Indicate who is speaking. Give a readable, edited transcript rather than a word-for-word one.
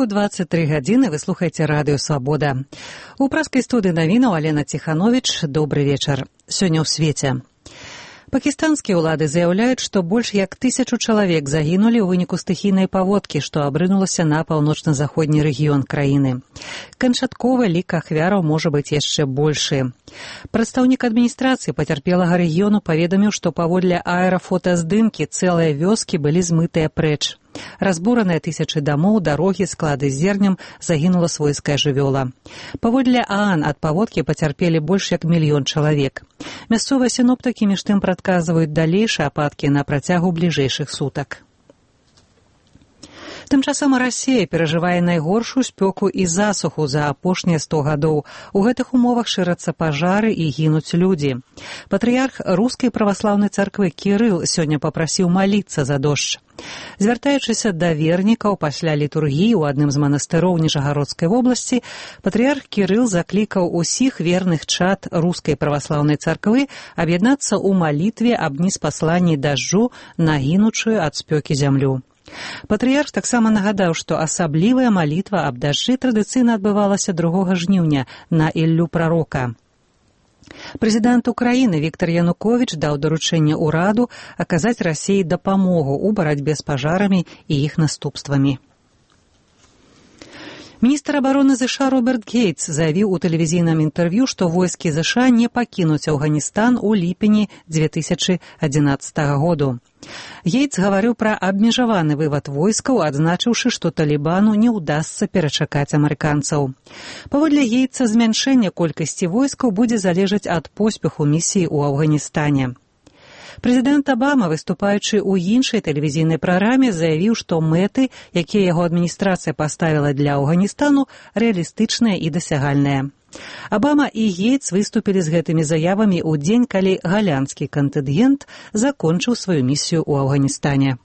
Speaker 1: ранку 23 гадзіны вы слухаеце радыё «Свабода». У праскай студыі навінаў Алена Ціхановіч. Добры вечар. Сёння ў свеце. Пакістанскія ўлады заяўляюць, што больш як 1000 чалавек загінулі ў выніку стыхійнай паводкі, што абрынулася на паўночна-заходні рэгіён краіны. Канчатковы лік ахвяраў можа быць яшчэ большы. Прадстаўнік адміністрацыі пацярпелага рэгіёну паведаміў, што паводле аэрафотаздымкі цэлыя вёскі былі змытыя прэч. Разбураныя тысячы дамоў, дарогі, склады з зернем, загінула свойская жывёла. Паводле ААН ад паводкі пацярпелі больш як 1 мільён чалавек. Мясцовыя сіноптыкі між тым прадказваюць далейшыя ападкі на працягу бліжэйшых сутак. Тым часам Расія перажывае найгоршую спёку і засуху за апошнія 100 гадоў. У гэтых умовах шырацца пажары і гінуць людзі. Патрыярх рускай праваслаўнай царквы Кірыл сёння папрасіў маліцца за дождж. Звяртаючыся да вернікаў пасля літургіі ў адным з манастыроў Ніжагародскай вобласці, патрыярх Кірыл заклікаў усіх верных чад рускай праваслаўнай царквы аб'яднацца ў малітве аб неспасланні дажджу на гінучую ад спёкі зямлю. Патрыярх таксама нагадаў, што асаблівая малітва аб дажджы традыцыйна адбывалася 2 жніўня на Іллю прарока. Прэзідэнт Украіны Віктар Януковіч даў даручэнне ўраду аказаць Расіі дапамогу ў барацьбе з пажарамі і іх наступствамі. Міністр абароны ЗША Роберт Гейтс заявіў у тэлевізійным інтэрв'ю, што войскі ЗША не пакінуць Афганістан у ліпені 2011 году. Гейтс гаварыў пра абмежаваны вывад войскаў, адзначыўшы, што Талібану не ўдасца перачакаць амерыканцаў. Паводле Гейтса, змяншэнне колькасці войскаў будзе залежаць ад поспеху місіі ў Афганістане. Прэзідэнт Абама, выступаючы ў іншай тэлевізійнай праграме, заявіў, што мэты, якія яго адміністрацыя паставіла для Афганістану, рэалістычныя і дасягальныя. Абама і Гейтс выступілі з гэтымі заявамі ў дзень, калі галянскі кантынгент закончыў сваю місію ў Афганістане.